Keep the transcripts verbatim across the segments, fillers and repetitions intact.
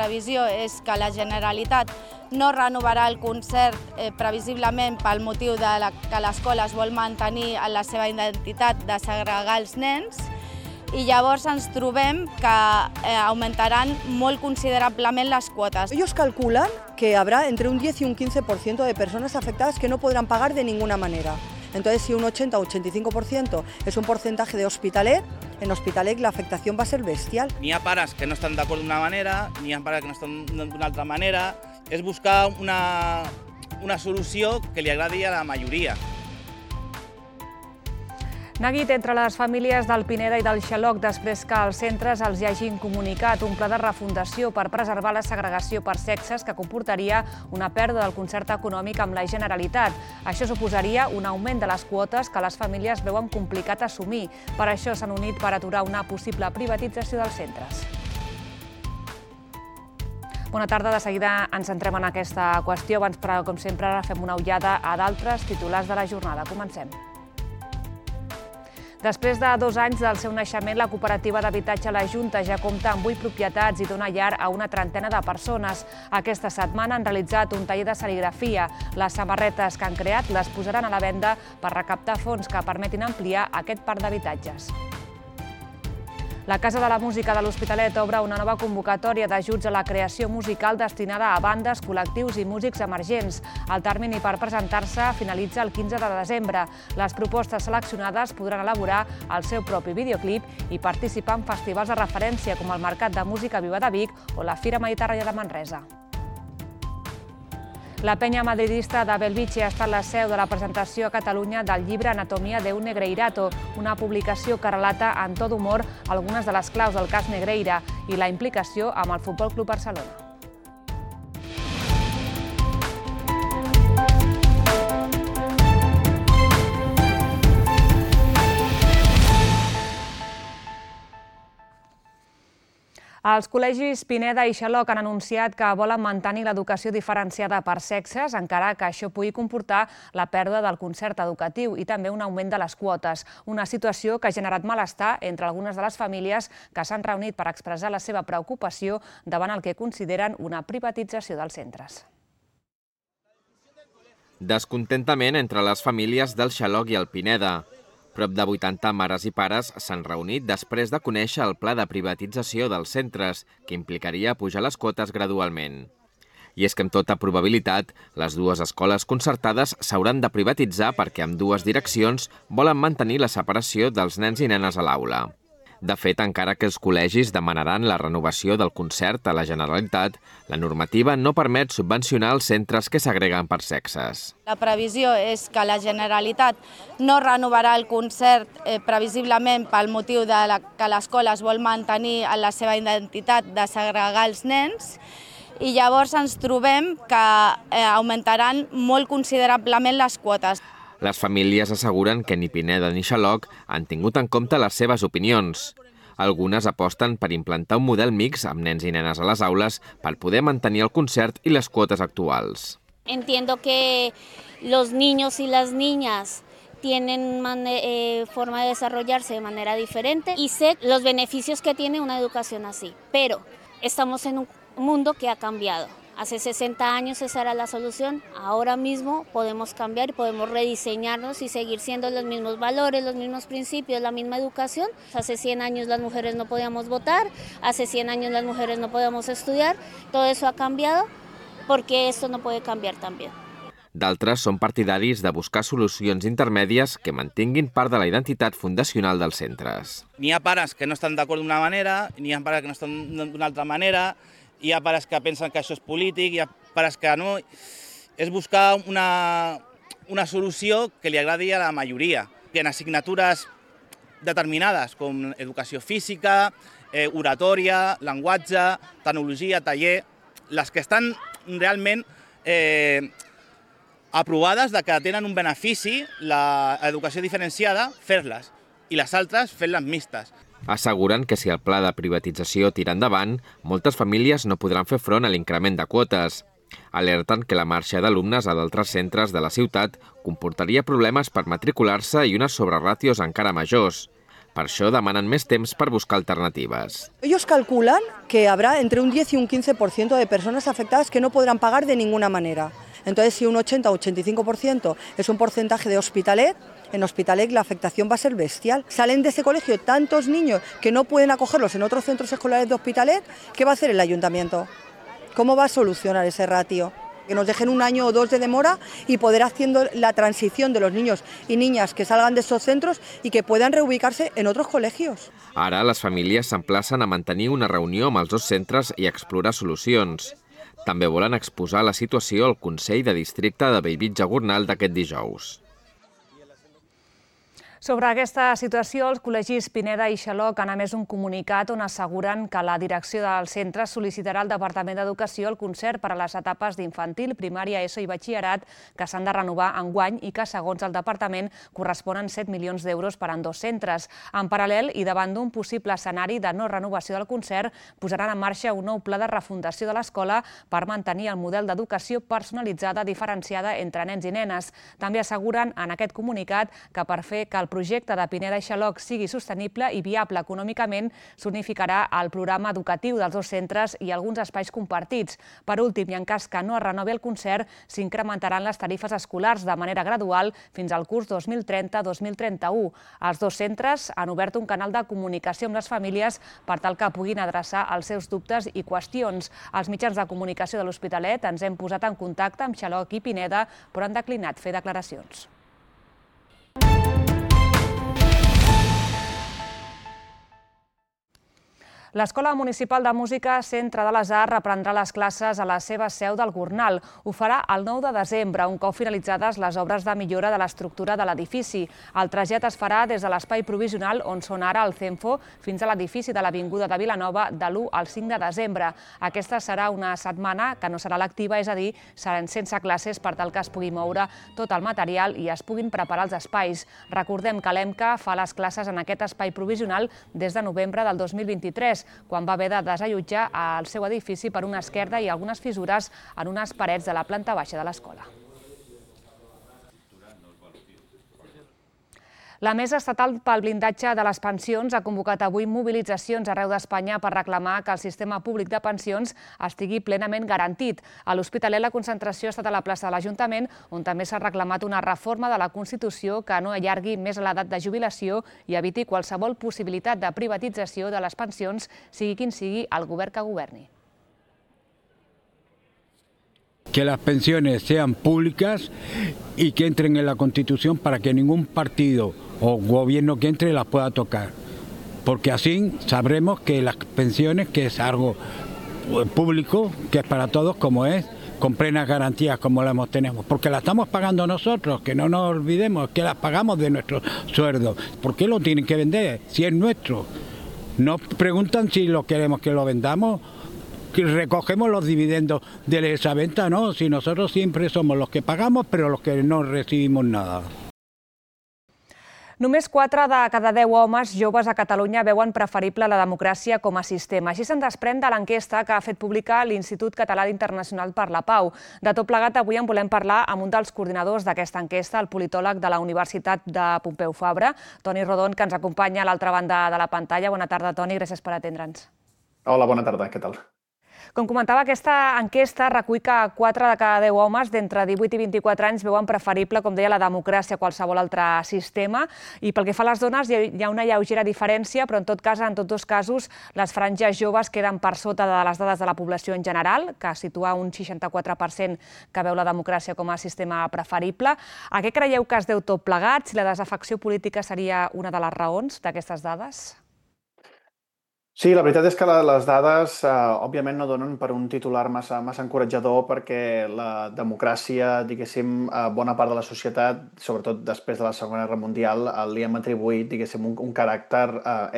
previsió és que la Generalitat no renovarà el concert eh, previsiblement pel motiu de la, que l'escola es vol mantenir en la seva identitat de segregar els nens, i llavors ens trobem que eh, aumentaran molt considerablement les quotes. Ellos calculan que habrá entre un diez y un quince por ciento de personas afectadas que no podrán pagar de ninguna manera. Entonces, si un ochenta o ochenta y cinco por ciento es un porcentaje de Hospitalet, en Hospitalet la afectación va a ser bestial. N'hi ha pares que no estan d'acord d'una manera, n'hi ha pares que no estan d'una altra manera. És buscar una, una solució que li agradi a la majoria. Neguit entre les famílies del Pineda i del Xaloc després que els centres els hi hagin comunicat un pla de refundació per preservar la segregació per sexes que comportaria una pèrdua del concert econòmic amb la Generalitat. Això suposaria un augment de les quotes que les famílies veuen complicat assumir. Per això s'han unit per aturar una possible privatització dels centres. Bona tarda, de seguida ens centrem en aquesta qüestió. Abans, però, com sempre, fem una ullada a d'altres titulars de la jornada. Comencem. Després de dos anys del seu naixement, la cooperativa d'habitatge La Junta ja compta amb vuit propietats i dona llar a una trentena de persones. Aquesta setmana han realitzat un taller de serigrafia. Les samarretes que han creat les posaran a la venda per recaptar fons que permetin ampliar aquest parc d'habitatges. La Casa de la Música de l'Hospitalet obre una nova convocatòria d'ajuts a la creació musical destinada a bandes, col·lectius i músics emergents. El termini per presentar-se finalitza el quinze de desembre. Les propostes seleccionades podran elaborar el seu propi videoclip i participar en festivals de referència com el Mercat de Música Viva de Vic o la Fira Mediterrània de Manresa. La penya madridista de Belvitge ha estat la seu de la presentació a Catalunya del llibre Anatomia de un Negreirato, una publicació que relata en to d'humor algunes de les claus del cas Negreira i la implicació amb el Futbol Club Barcelona. Els col·legis Pineda i Xaloc han anunciat que volen mantenir l'educació diferenciada per sexes, encara que això pugui comportar la pèrdua del concert educatiu i també un augment de les quotes, una situació que ha generat malestar entre algunes de les famílies que s'han reunit per expressar la seva preocupació davant el que consideren una privatització dels centres. Descontentament entre les famílies del Xaloc i el Pineda. Prop de vuitanta mares i pares s'han reunit després de conèixer el pla de privatització dels centres, que implicaria pujar les quotes gradualment. I és que amb tota probabilitat, les dues escoles concertades s'hauran de privatitzar perquè ambdues direccions volen mantenir la separació dels nens i nenes a l'aula. De fet, encara que els col·legis demanaran la renovació del concert a la Generalitat, la normativa no permet subvencionar els centres que s'agreguen per sexes. La previsió és que la Generalitat no renovarà el concert eh, previsiblement pel motiu de la, que l'escola es vol mantenir en la seva identitat de segregar els nens, i llavors ens trobem que eh, augmentaran molt considerablement les quotes. Les famílies asseguren que ni Pineda ni Xaloc han tingut en compte les seves opinions. Algunes aposten per implantar un model mix amb nens i nenes a les aules per poder mantenir el concert i les quotes actuals. Entiendo que los niños y las niñas tienen eh, forma de desarrollarse de manera diferente y sé los beneficios que tiene una educación así, pero estamos en un mundo que ha cambiado. Hace sesenta años esa era la solución, ahora mismo podemos cambiar y podemos rediseñarnos y seguir siendo los mismos valores, los mismos principios, la misma educación. Hace cien años las mujeres no podíamos votar, hace cien años las mujeres no podíamos estudiar, todo eso ha cambiado porque esto no puede cambiar también. D'altres són partidaris de buscar solucions intermèdies que mantinguin part de la identitat fundacional dels centres. N'hi ha pares que no estan d'acord d'una manera, n'hi ha pares que no estan d'una altra manera, hi ha pares que pensen que això és polític, hi ha pares que no. És buscar una, una solució que li agradi a la majoria. En assignatures determinades, com educació física, eh, oratòria, llenguatge, tecnologia, taller, les que estan realment eh, aprovades de que tenen un benefici, l'educació diferenciada, fer-les, i les altres fer-les mixtes. Asseguren que si el pla de privatització tira endavant, moltes famílies no podran fer front a l'increment de quotes. Alerten que la marxa d'alumnes a d'altres centres de la ciutat comportaria problemes per matricular-se i unes sobreràtios encara majors. Per això demanen més temps per buscar alternatives. Ellos calculan que habrá entre un diez y un quince por ciento de personas afectadas que no podrán pagar de ninguna manera. Entonces, si un ochenta o ochenta y cinco por ciento es un porcentaje de Hospitalet, en Hospitalet la afectación va a ser bestial. Salen de ese colegio tantos niños que no pueden acogerlos en otros centros escolares de Hospitalet, ¿qué va a hacer el ayuntamiento? ¿Cómo va a solucionar ese ratio? Que nos dejen un año o dos de demora y poder haciendo la transición de los niños y niñas que salgan de estos centros y que puedan reubicarse en otros colegios. Ara les famílies s'emplacen a mantenir una reunió amb els dos centres i explorar solucions. També volen exposar la situació al Consell de Districte de Bellvitge-Gornal d'aquest dijous. Sobre aquesta situació, els col·legis Pineda i Xaloc han emès un comunicat on asseguren que la direcció del centre sol·licitarà al Departament d'Educació el concert per a les etapes d'infantil, primària, ESO i batxillerat que s'han de renovar enguany i que, segons el departament, corresponen set milions d'euros per a dos centres. En paral·lel, i davant d'un possible escenari de no renovació del concert, posaran en marxa un nou pla de refundació de l'escola per mantenir el model d'educació personalitzada diferenciada entre nens i nenes. També asseguren en aquest comunicat que per fer que el projecte de Pineda i Xaloc sigui sostenible i viable econòmicament s'unificarà el programa educatiu dels dos centres i alguns espais compartits. Per últim, i en cas que no es renovi el concert, s'incrementaran les tarifes escolars de manera gradual fins al curs dos mil trenta dos mil trenta-u. Els dos centres han obert un canal de comunicació amb les famílies per tal que puguin adreçar els seus dubtes i qüestions. Els mitjans de comunicació de l'Hospitalet ens hem posat en contacte amb Xaloc i Pineda, però han declinat fer declaracions. L'Escola Municipal de Música Centre de les Arts reprendrà les classes a la seva seu del Gornal. Ho farà el nou de desembre, un cop finalitzades les obres de millora de l'estructura de l'edifici. El trasllat es farà des de l'espai provisional on són ara el CENFO fins a l'edifici de l'Avinguda de Vilanova de l'u al cinc de desembre. Aquesta serà una setmana que no serà lectiva, és a dir, seran sense classes per tal que es pugui moure tot el material i es puguin preparar els espais. Recordem que l'EMCA fa les classes en aquest espai provisional des de novembre del dos mil vint-i-tres, quan va haver de desallotjar el seu edifici per una esquerda i algunes fissures en unes parets de la planta baixa de l'escola. La Mesa Estatal pel Blindatge de les Pensions ha convocat avui mobilitzacions arreu d'Espanya per reclamar que el sistema públic de pensions estigui plenament garantit. A l'Hospitalet la concentració ha estat a la plaça de l'Ajuntament, on també s'ha reclamat una reforma de la Constitució que no allargui més l'edat de jubilació i eviti qualsevol possibilitat de privatització de les pensions, sigui quin sigui el govern que governi. Que las pensiones sean públicas y que entren en la Constitución para que ningún partido o gobierno que entre las pueda tocar. Porque así sabremos que las pensiones, que es algo público, que es para todos como es, con plenas garantías como las tenemos. Porque las estamos pagando nosotros, que no nos olvidemos, que las pagamos de nuestro sueldo. ¿Por qué lo tienen que vender si es nuestro? Nos preguntan si lo queremos que lo vendamos, que recogemos los dividendos de esa venta, no, si nosotros siempre somos los que pagamos, pero los que no recibimos nada. Només quatre de cada deu homes joves a Catalunya veuen preferible la democràcia com a sistema. Així se'n desprèn de l'enquesta que ha fet pública l'Institut Català Internacional per la Pau. De tot plegat, avui en volem parlar amb un dels coordinadors d'aquesta enquesta, el politòleg de la Universitat de Pompeu Fabra, Toni Rodon, que ens acompanya a l'altra banda de la pantalla. Bona tarda, Toni, gràcies per atendre'ns. Hola, bona tarda, què tal? Com comentava, aquesta enquesta recull que quatre de cada deu homes d'entre divuit i vint-i-quatre anys veuen preferible, com deia, la democràcia a qualsevol altre sistema. I pel que fa a les dones, hi ha una lleugera diferència, però en tot cas, en tots dos casos, les franges joves queden per sota de les dades de la població en general, que situa un seixanta-quatre per cent que veu la democràcia com a sistema preferible. A què creieu que es deu tot plegat? Si la desafecció política seria una de les raons d'aquestes dades? Sí, la veritat és que les dades, òbviament, no donen per un titular massa encoratjador perquè la democràcia, diguéssim, bona part de la societat, sobretot després de la Segona Guerra Mundial, li hem atribuït, diguéssim, un caràcter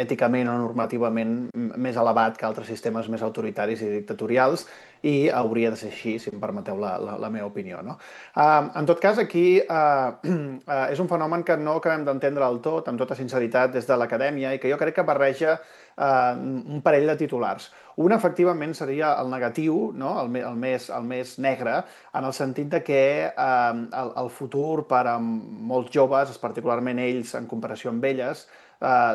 èticament o normativament més elevat que altres sistemes més autoritaris i dictatorials, i hauria de ser així, si em permeteu la meva opinió. En tot cas, aquí és un fenomen que no acabem d'entendre del tot, amb tota sinceritat, des de l'acadèmia, i que jo crec que barreja un parell de titulars. Un, efectivament, seria el negatiu, el més negre, en el sentit que el futur per a molts joves, particularment ells en comparació amb elles,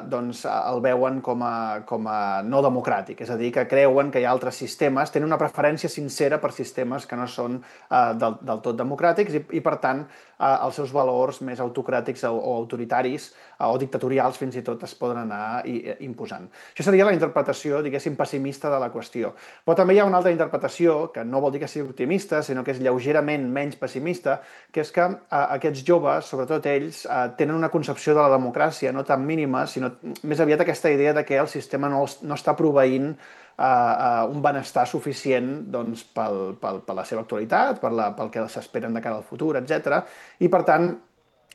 doncs el veuen com a, com a no democràtic, és a dir, que creuen que hi ha altres sistemes, tenen una preferència sincera per sistemes que no són eh, del, del tot democràtics i, i per tant, eh, els seus valors més autocràtics o, o autoritaris eh, o dictatorials fins i tot es poden anar i, eh, imposant. Això seria la interpretació, diguéssim, pessimista de la qüestió. Però també hi ha una altra interpretació, que no vol dir que sigui optimista, sinó que és lleugerament menys pessimista, que és que eh, aquests joves, sobretot ells, eh, tenen una concepció de la democràcia no tan mínima, sinó més aviat aquesta idea de que el sistema no, no està proveint uh, uh, un benestar suficient doncs, pel, pel, per la seva actualitat, per la, pel que s'esperen de cara al futur, etcètera. I per tant,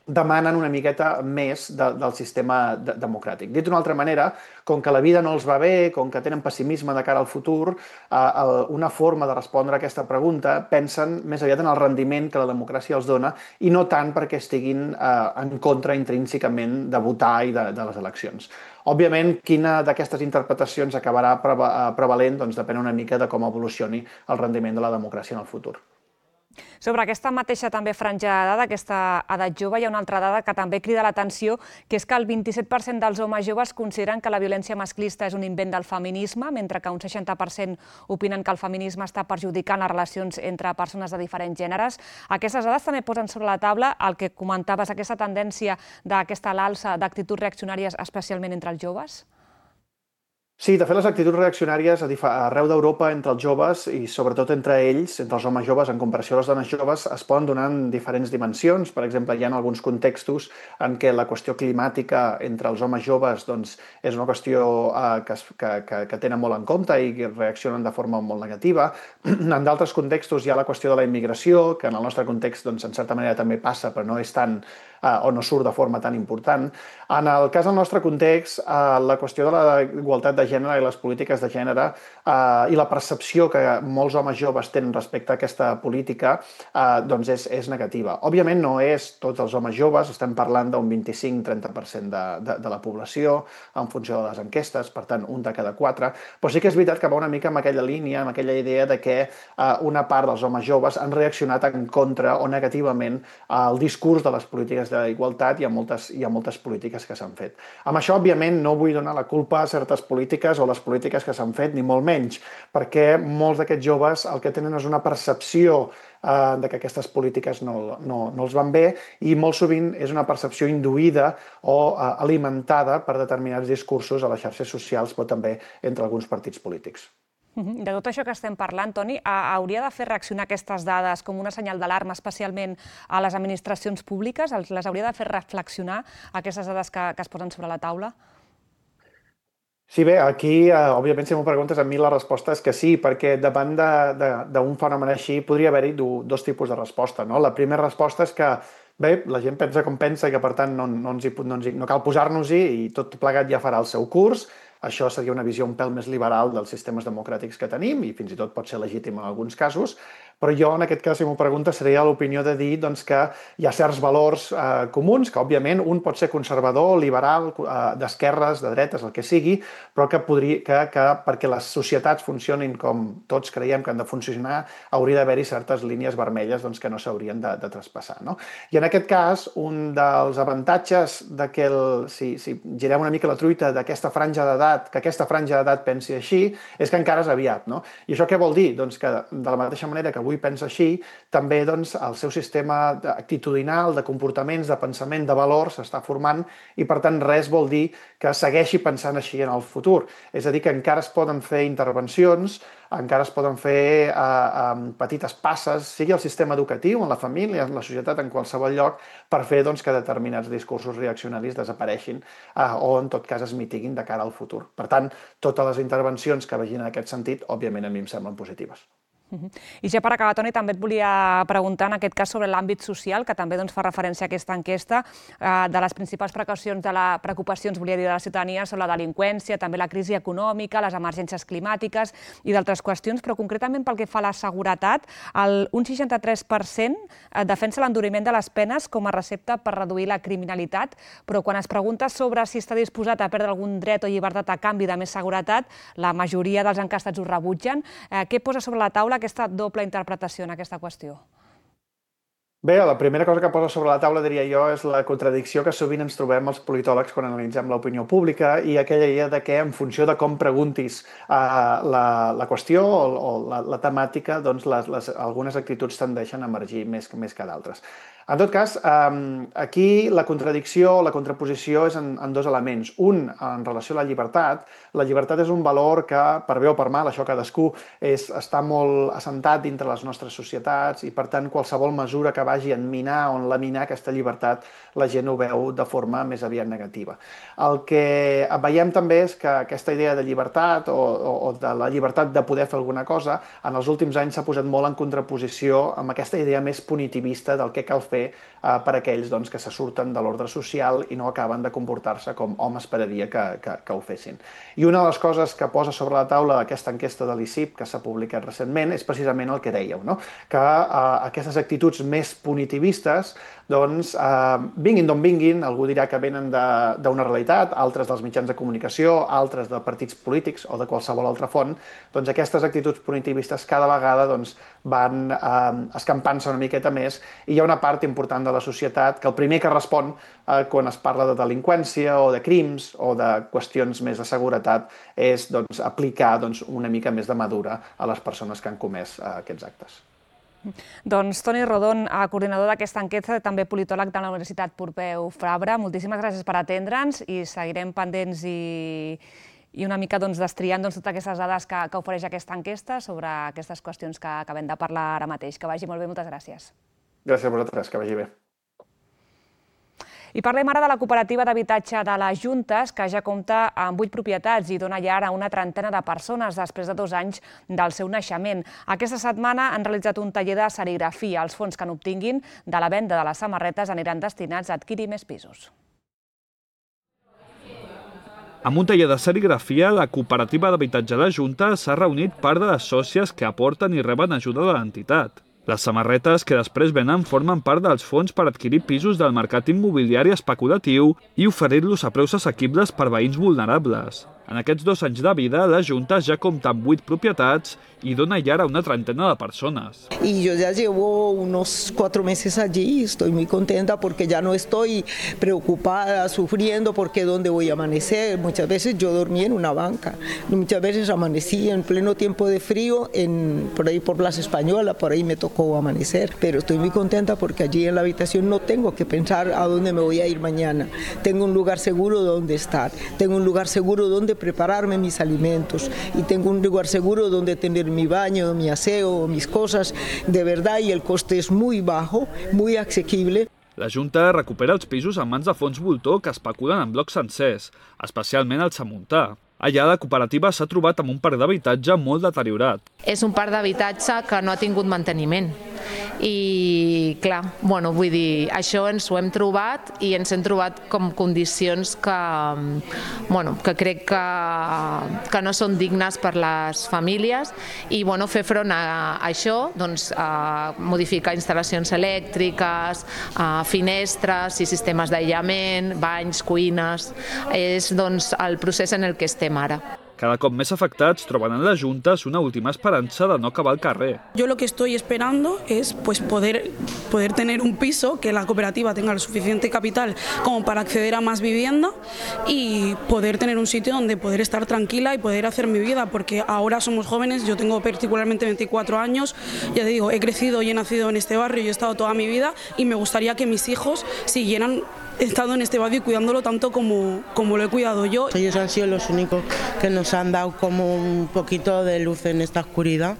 demanen una miqueta més de, del sistema de, democràtic. Dit d'una altra manera, com que la vida no els va bé, com que tenen pessimisme de cara al futur, eh, una forma de respondre a aquesta pregunta pensen més aviat en el rendiment que la democràcia els dona i no tant perquè estiguin eh, en contra intrínsecament de votar i de, de les eleccions. Òbviament, quina d'aquestes interpretacions acabarà prevalent doncs depèn una mica de com evolucioni el rendiment de la democràcia en el futur. Sobre aquesta mateixa també franja d'edat, aquesta edat jove, hi ha una altra dada que també crida l'atenció, que és que el vint-i-set per cent dels homes joves consideren que la violència masclista és un invent del feminisme, mentre que un seixanta per cent opinen que el feminisme està perjudicant les relacions entre persones de diferents gèneres. Aquestes dades també posen sobre la taula el que comentaves, aquesta tendència d'aquesta alça d'actituds reaccionàries, especialment entre els joves? Sí, de fet, les actituds reaccionàries arreu d'Europa entre els joves i sobretot entre ells, entre els homes joves en comparació a les dones joves, es poden donar en diferents dimensions. Per exemple, hi ha alguns contextos en què la qüestió climàtica entre els homes joves doncs, és una qüestió eh, que, que, que, que tenen molt en compte i que reaccionen de forma molt negativa. En d'altres contextos hi ha la qüestió de la immigració, que en el nostre context, doncs, en certa manera també passa, però no és tan eh, o no surt de forma tan important. En el cas del nostre context, eh, la qüestió de la igualtat de gènere i les polítiques de gènere eh, i la percepció que molts homes joves tenen respecte a aquesta política eh, doncs és, és negativa. Òbviament no és tots els homes joves, estem parlant d'un vint-i-cinc a trenta per cent de, de, de la població en funció de les enquestes, per tant un de cada quatre, però sí que és veritat que va una mica amb aquella línia, amb aquella idea de que eh, una part dels homes joves han reaccionat en contra o negativament al discurs de les polítiques d'igualtat i a moltes, i a moltes polítiques que s'han fet. Amb això, òbviament, no vull donar la culpa a certes polítiques o les polítiques que s'han fet, ni molt menys, perquè molts d'aquests joves el que tenen és una percepció eh, de que aquestes polítiques no, no, no els van bé i molt sovint és una percepció induïda o eh, alimentada per determinats discursos a les xarxes socials, però també entre alguns partits polítics. De tot això que estem parlant, Toni, hauria de fer reaccionar aquestes dades com una senyal d'alarma, especialment a les administracions públiques? Les hauria de fer reflexionar aquestes dades que, que es posen sobre la taula? Sí, bé, aquí, eh, òbviament, si m'ho preguntes, a mi la resposta és que sí, perquè davant d'un fenomen així podria haver-hi dos tipus de resposta. No? La primera resposta és que, bé, la gent pensa com pensa i que, per tant, no, no, ens hi, no, ens hi, no cal posar-nos-hi i tot plegat ja farà el seu curs. Això seria una visió un pèl més liberal dels sistemes democràtics que tenim i fins i tot pot ser legítim en alguns casos. Però jo, en aquest cas, si m'ho pregunta, seria l'opinió de dir doncs, que hi ha certs valors eh, comuns, que òbviament un pot ser conservador, liberal, eh, d'esquerres, de dretes, el que sigui, però que, podria, que, que perquè les societats funcionin com tots creiem que han de funcionar, hauria d'haver-hi certes línies vermelles doncs, que no s'haurien de, de traspassar. No? I en aquest cas, un dels avantatges de que, el, si, si girem una mica la truita d'aquesta franja d'edat, que aquesta franja d'edat pensi així, és que encara és aviat. No? I això què vol dir? Doncs que de la mateixa manera que avui pensa així, també doncs, el seu sistema actitudinal, de comportaments, de pensament, de valors s'està formant i, per tant, res vol dir que segueixi pensant així en el futur. És a dir, que encara es poden fer intervencions, encara es poden fer eh, eh, petites passes, sigui el sistema educatiu, en la família, en la societat, en qualsevol lloc, per fer doncs, que determinats discursos reaccionaris desapareixin eh, o, en tot cas, es mitiguin de cara al futur. Per tant, totes les intervencions que vagin en aquest sentit, òbviament, a mi em semblen positives. I ja per acabar, Toni, també et volia preguntar en aquest cas sobre l'àmbit social, que també doncs, fa referència a aquesta enquesta. De les principals precaucions de la, preocupacions volia dir, de la ciutadania són la delinqüència, també la crisi econòmica, les emergències climàtiques i d'altres qüestions, però concretament pel que fa a la seguretat, el, un seixanta-tres per cent defensa l'enduriment de les penes com a recepta per reduir la criminalitat, però quan es pregunta sobre si està disposat a perdre algun dret o llibertat a canvi de més seguretat, la majoria dels enquestats ho rebutgen. Què posa sobre la taula aquesta doble interpretació en aquesta qüestió? Bé, la primera cosa que posa sobre la taula, diria jo, és la contradicció que sovint ens trobem els politòlegs quan analitzem l'opinió pública i aquella idea de que en funció de com preguntis uh, la, la qüestió o, o la, la temàtica, doncs les, les, algunes actituds tendeixen a emergir més, més que d'altres. En tot cas, um, aquí la contradicció, la contraposició és en, en dos elements. Un, en relació a la llibertat. La llibertat és un valor que, per bé o per mal, això cadascú, és, està molt assentat dintre les nostres societats i, per tant, qualsevol mesura que vagi a minar o laminar aquesta llibertat, la gent ho veu de forma més aviat negativa. El que veiem també és que aquesta idea de llibertat o, o, o de la llibertat de poder fer alguna cosa, en els últims anys s'ha posat molt en contraposició amb aquesta idea més punitivista del que cal fer fer uh, per aquells doncs, que se surten de l'ordre social i no acaben de comportar-se com hom esperaria que, que, que ho fessin. I una de les coses que posa sobre la taula aquesta enquesta de l'I C I P que s'ha publicat recentment és precisament el que dèieu, no? Que uh, aquestes actituds més punitivistes doncs eh, vinguin d'on vinguin, algú dirà que venen d'una realitat, altres dels mitjans de comunicació, altres de partits polítics o de qualsevol altra font, doncs aquestes actituds punitivistes cada vegada doncs, van eh, escampant-se una miqueta més i hi ha una part important de la societat que el primer que respon eh, quan es parla de delinqüència o de crims o de qüestions més de seguretat és doncs, aplicar doncs, una mica més de madura a les persones que han comès eh, aquests actes. Doncs Toni Rodon, coordinador d'aquesta enquesta, també politòleg de la Universitat Pompeu Fabra, moltíssimes gràcies per atendre'ns i seguirem pendents i, i una mica doncs, destriant doncs, totes aquestes dades que, que ofereix aquesta enquesta sobre aquestes qüestions que acabem de parlar ara mateix. Que vagi molt bé, moltes gràcies. Gràcies a vosaltres, que vagi bé. I parlem ara de la cooperativa d'habitatge de les Juntes, que ja compta amb vuit propietats i dona llar a una trentena de persones després de dos anys del seu naixement. Aquesta setmana han realitzat un taller de serigrafia. Els fons que n'obtinguin de la venda de les samarretes aniran destinats a adquirir més pisos. Amb un taller de serigrafia, la cooperativa d'habitatge de les Juntes s'ha reunit part de les sòcies que aporten i reben ajuda de l'entitat. Les samarretes que després venen formen part dels fons per adquirir pisos del mercat immobiliari especulatiu i oferir-los a preus assequibles per veïns vulnerables. En aquests dos anys de vida, la Junta ja compta amb vuit propietats y dona llar a una treintena de personas. Y yo ya llevo unos cuatro meses allí y estoy muy contenta porque ya no estoy preocupada, sufriendo porque dónde voy a amanecer. Muchas veces yo dormí en una banca, muchas veces amanecí en pleno tiempo de frío, en, por ahí por Plaza Española, por ahí me tocó amanecer. Pero estoy muy contenta porque allí en la habitación no tengo que pensar a dónde me voy a ir mañana. Tengo un lugar seguro donde estar, tengo un lugar seguro donde prepararme mis alimentos y tengo un lugar seguro donde tener mi baño, mi aseo, mis cosas, de verdad, y el coste es muy bajo, muy asequible. La Junta recupera els pisos en mans de fons voltor que especulen en blocs sencers, especialment al Samuntà. Allà la cooperativa s'ha trobat amb un parc d'habitatge molt deteriorat. És un parc d'habitatge que no ha tingut manteniment i, clar, bueno, vull dir, això ens ho hem trobat i ens hem trobat com condicions que, bueno, que crec que, que no són dignes per les famílies i, bueno, fer front a això, doncs, a modificar instal·lacions elèctriques, a finestres i sistemes d'aïllament, banys, cuines, és, doncs, el procés en el que estem ara. Cada cop més afectats troben en les Juntes una última esperanza de no acabar al carrer. Yo lo que estoy esperando es pues, poder, poder tener un piso, que la cooperativa tenga el suficiente capital como para acceder a más vivienda y poder tener un sitio donde poder estar tranquila y poder hacer mi vida, porque ahora somos jóvenes, yo tengo particularmente veinticuatro años, ya te digo, he crecido y he nacido en este barrio y he estado toda mi vida y me gustaría que mis hijos siguieran he estado en este barrio y cuidándolo tanto como, como lo he cuidado yo. Ellos han sido los únicos que nos han dado como un poquito de luz en esta oscuridad,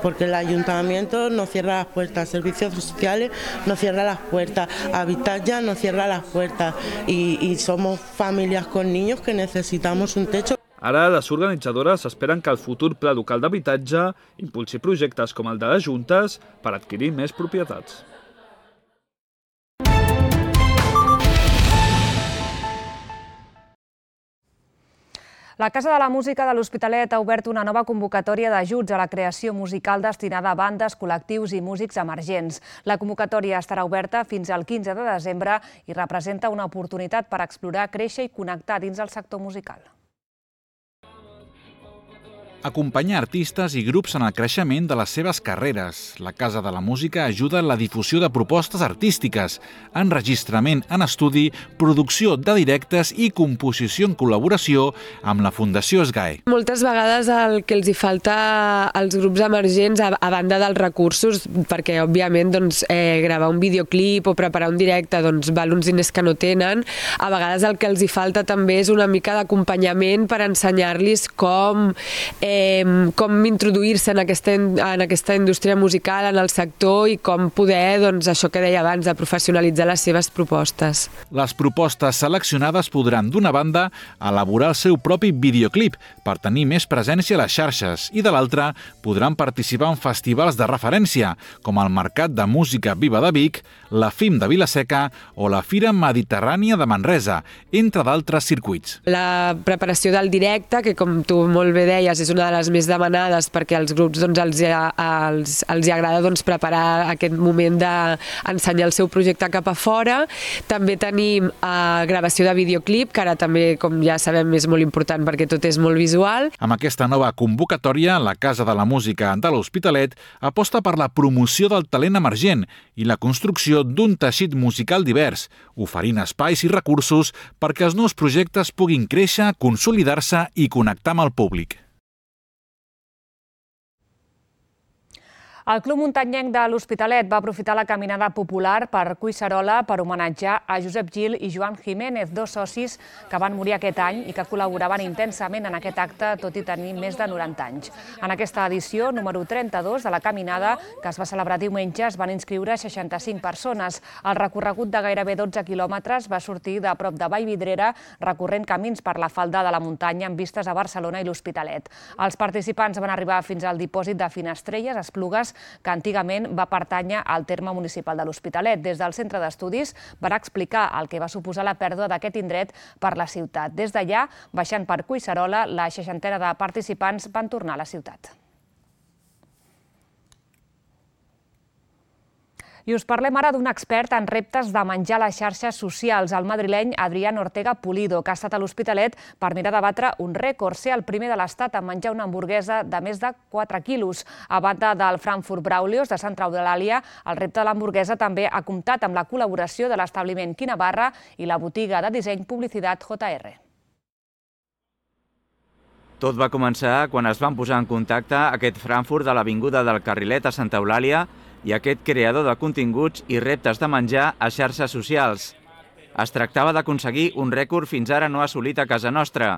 porque el ayuntamiento nos cierra las puertas, servicios sociales nos cierra las puertas, Habitatge nos cierra las puertas y, y somos familias con niños que necesitamos un techo. Ara, les organitzadores esperen que el futur pla local d'habitatge impulsi projectes com el de les Juntes per adquirir més propietats. La Casa de la Música de l'Hospitalet ha obert una nova convocatòria d'ajuts a la creació musical destinada a bandes, col·lectius i músics emergents. La convocatòria estarà oberta fins al quinze de desembre i representa una oportunitat per explorar, créixer i connectar dins el sector musical. acompanyar artistes i grups en el creixement de les seves carreres. La Casa de la Música ajuda en la difusió de propostes artístiques, enregistrament en estudi, producció de directes i composició en col·laboració amb la Fundació SGAE. Moltes vegades el que els hi falta als grups emergents, a, a banda dels recursos, perquè òbviament doncs, eh, gravar un videoclip o preparar un directe doncs, val uns diners que no tenen, a vegades el que els hi falta també és una mica d'acompanyament per ensenyar-los com Eh, com introduir-se en, aquesta, en aquesta indústria musical, en el sector i com poder, doncs, això que deia abans, de professionalitzar les seves propostes. Les propostes seleccionades podran, d'una banda, elaborar el seu propi videoclip per tenir més presència a les xarxes i, de l'altra, podran participar en festivals de referència, com el Mercat de Música Viva de Vic, la F I M de Vila-seca o la Fira Mediterrània de Manresa, entre d'altres circuits. La preparació del directe, que com tu molt bé deies, és una de les més demanades perquè als grups doncs, els, els, els agrada doncs, preparar aquest moment d'ensenyar el seu projecte cap a fora. També tenim eh, gravació de videoclip, que ara també, com ja sabem, és molt important perquè tot és molt visual. Amb aquesta nova convocatòria, la Casa de la Música de l'Hospitalet aposta per la promoció del talent emergent i la construcció d'un teixit musical divers, oferint espais i recursos perquè els nous projectes puguin créixer, consolidar-se i connectar amb el públic. El Club Muntanyenc de l'Hospitalet va aprofitar la caminada popular per Collserola per homenatjar a Josep Gil i Joan Jiménez, dos socis que van morir aquest any i que col·laboraven intensament en aquest acte, tot i tenir més de noranta anys. En aquesta edició, número trenta-dos de la caminada, que es va celebrar diumenge, es van inscriure seixanta-cinc persones. El recorregut de gairebé dotze quilòmetres va sortir de prop de Vallvidrera, recorrent camins per la falda de la muntanya amb vistes a Barcelona i l'Hospitalet. Els participants van arribar fins al dipòsit de Finestrelles, Esplugues, que antigament va pertànyer al terme municipal de l'Hospitalet. Des del centre d'estudis van explicar el que va suposar la pèrdua d'aquest indret per la ciutat. Des d'allà, baixant per Collserola, la seixantena de participants van tornar a la ciutat. I us parlem ara d'un expert en reptes de menjar a les xarxes socials, el madrileny Adrián Ortega Pulido, que ha estat a l'Hospitalet per mirar de batre un rècord, ser el primer de l'Estat a menjar una hamburguesa de més de quatre quilos. A banda del Frankfurt Braulios de Sant Eulàlia, el repte de l'hamburguesa també ha comptat amb la col·laboració de l'establiment Quina Barra i la botiga de disseny Publicitat J R. Tot va començar quan es van posar en contacte aquest Frankfurt de l'Avinguda del Carrilet a Sant Eulàlia i aquest creador de continguts i reptes de menjar a xarxes socials. Es tractava d'aconseguir un rècord fins ara no assolit a casa nostra: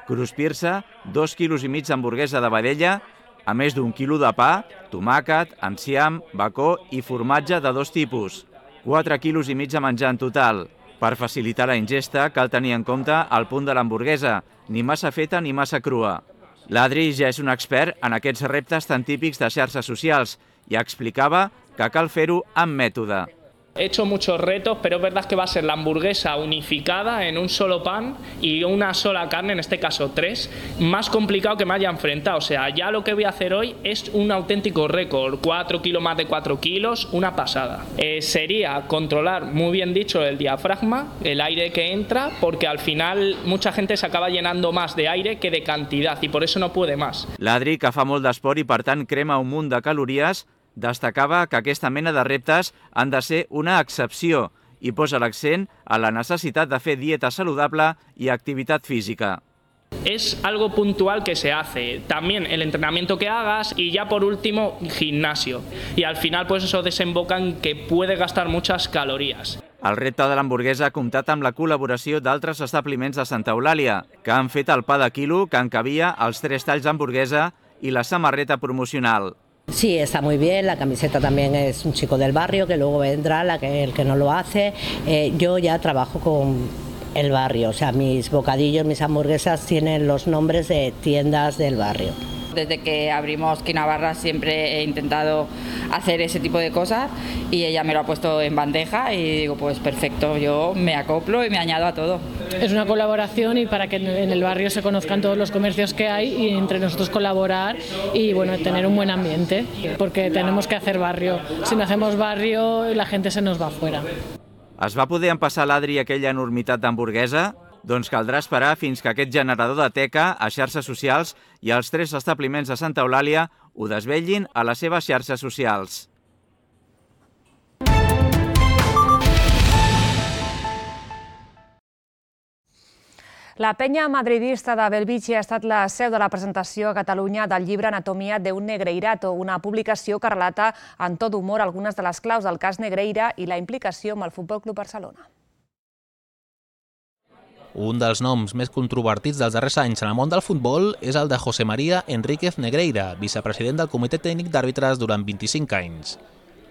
cruspir-se dos quilos i mig d'hamburguesa de vedella, a més d'un quilo de pa, tomàquet, enciam, bacó i formatge de dos tipus. quatre quilos i mig de menjar en total. Per facilitar la ingesta cal tenir en compte el punt de l'hamburguesa, ni massa feta ni massa crua. L'Adri ja és un expert en aquests reptes tan típics de xarxes socials i explicava que cal fer-ho amb mètode. He hecho muchos retos, pero es verdad que va a ser la hamburguesa unificada en un solo pan y una sola carne, en este caso tres, más complicado que me haya enfrentado. O sea, ya lo que voy a hacer hoy es un auténtico récord, cuatro kilos más de cuatro kilos, una pasada. Eh, sería controlar, muy bien dicho, el diafragma, el aire que entra, porque al final mucha gente se acaba llenando más de aire que de cantidad y por eso no puede más. L'Adri, que fa molt d'esport i per tant crema un munt de calories, destacava que aquesta mena de reptes han de ser una excepció i posa l'accent a la necessitat de fer dieta saludable i activitat física. Es algo puntual que se hace, también el entrenamiento que hagas y ya por último gimnasio. Y al final pues eso desemboca en que puede gastar muchas calorías. El repte de l'hamburguesa ha comptat amb la col·laboració d'altres establiments de Santa Eulàlia, que han fet el pa de quilo que encabia els tres talls d'hamburguesa i la samarreta promocional. Sí, está muy bien, la camiseta también es un chico del barrio que luego vendrá, la que, el que no lo hace. Eh, yo ya trabajo con el barrio, o sea, mis bocadillos, mis hamburguesas tienen los nombres de tiendas del barrio. Desde que abrimos Quina Barra siempre he intentado hacer ese tipo de cosas y ella me lo ha puesto en bandeja y digo, pues perfecto, yo me acoplo y me añado a todo. Es una colaboración y para que en el barrio se conozcan todos los comercios que hay y entre nosotros colaborar y bueno, tener un buen ambiente, porque tenemos que hacer barrio. Si no hacemos barrio, la gente se nos va afuera. Es va poder empassar l'Adri aquella enormitat d'hamburguesa? Doncs caldrà esperar fins que aquest generador de teca a xarxes socials i els tres establiments de Santa Eulàlia ho desvetllin a les seves xarxes socials. La penya madridista de Belvitge ha estat la seu de la presentació a Catalunya del llibre Anatomia de un Negreirato, una publicació que relata en to d'humor algunes de les claus del cas Negreira i la implicació amb el Futbol Club Barcelona. Un dels noms més controvertits dels darrers anys en el món del futbol és el de José María Enríquez Negreira, vicepresident del Comitè Tècnic d'Àrbitres durant vint-i-cinc anys.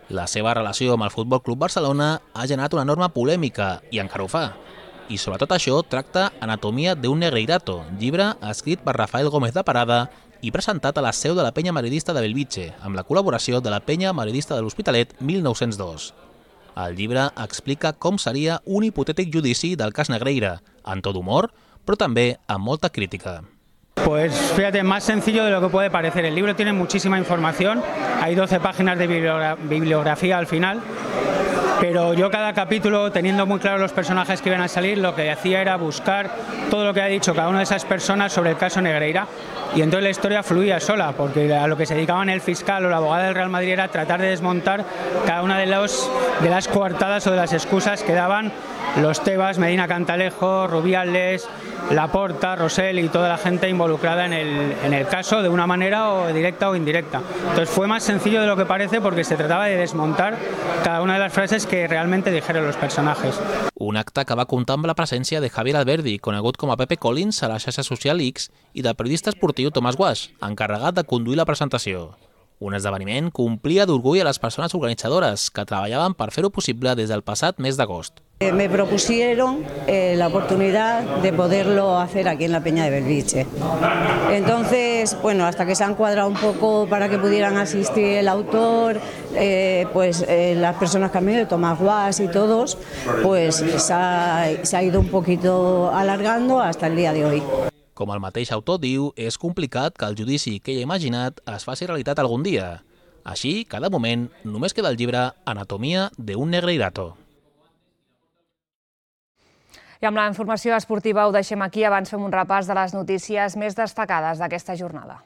La seva relació amb el Futbol Club Barcelona ha generat una enorme polèmica, i encara ho fa. I sobre tot això tracta Anatomia de un Negreirato, llibre escrit per Rafael Gómez de Parada i presentat a la seu de la penya madridista de Belvitge, amb la col·laboració de la penya madridista de l'Hospitalet mil nou-cents dos. El llibre explica com seria un hipotètic judici del cas Negreira, en to d'humor, però també amb molta crítica. Pues fíjate, más sencillo de lo que puede parecer. El libro tiene muchísima información, hay doce páginas de bibliografía al final, pero yo cada capítulo, teniendo muy claro los personajes que iban a salir, lo que hacía era buscar todo lo que ha dicho cada una de esas personas sobre el caso Negreira, y entonces la historia fluía sola, porque a lo que se dedicaban el fiscal o la abogada del Real Madrid era tratar de desmontar cada una de, los, de las coartadas o de las excusas que daban los Tebas, Medina Cantalejo, Rubiales, Laporta, Rosell y toda la gente involucrada en el, en el caso de una manera o directa o indirecta. Entonces fue más sencillo de lo que parece porque se trataba de desmontar cada una de las frases que realmente dijeron los personajes. Un acte que va comptar amb la presència de Javier Alberdi, conegut com a Pepe Collins a la xarxa social X, i del periodista esportiu Tomàs Guasch, encarregat de conduir la presentació. Un esdeveniment que omplia d'orgull a les persones organitzadores que treballaven per fer-ho possible des del passat mes d'agost. Me propusieron eh, la oportunidad de poderlo hacer aquí en la Peña de Belvitge. Entonces, bueno, hasta que se han cuadrado un poco para que pudieran asistir el autor, eh, pues eh, las personas que han venido, Tomás Guasch y todos, pues se ha, se ha ido un poquito alargando hasta el día de hoy. Com el mateix autor diu, és complicat que el judici que ell ha imaginat es faci realitat algun dia. Així, cada moment, només queda el llibre Anatomia de un Negreirato. I amb la informació esportiva ho deixem aquí. Abans fem un repàs de les notícies més destacades d'aquesta jornada.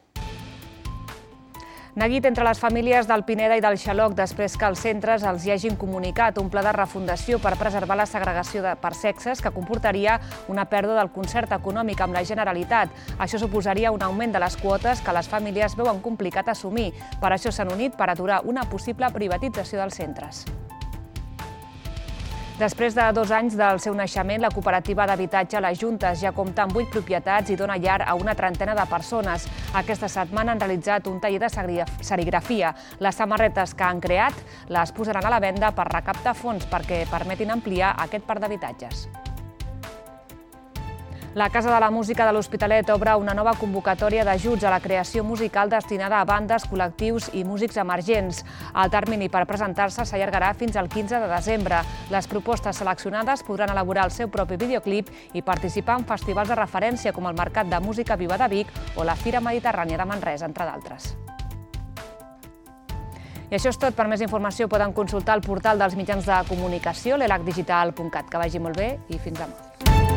Neguit entre les famílies del Pineda i del Xaloc després que els centres els hi hagin comunicat un pla de refundació per preservar la segregació per sexes que comportaria una pèrdua del concert econòmic amb la Generalitat. Això suposaria un augment de les quotes que les famílies veuen complicat assumir. Per això s'han unit per aturar una possible privatització dels centres. Després de dos anys del seu naixement, la cooperativa d'habitatge Les Juntes ja compta amb vuit propietats i dona llar a una trentena de persones. Aquesta setmana han realitzat un taller de serigrafia. Les samarretes que han creat les posaran a la venda per recaptar fons perquè permetin ampliar aquest parc d'habitatges. La Casa de la Música de l'Hospitalet obre una nova convocatòria d'ajuts a la creació musical destinada a bandes, col·lectius i músics emergents. El termini per presentar-se s'allargarà fins al quinze de desembre. Les propostes seleccionades podran elaborar el seu propi videoclip i participar en festivals de referència com el Mercat de Música Viva de Vic o la Fira Mediterrània de Manresa, entre d'altres. I això és tot. Per més informació poden consultar el portal dels mitjans de comunicació, l'elac digital punt cat. Que vagi molt bé i fins demà.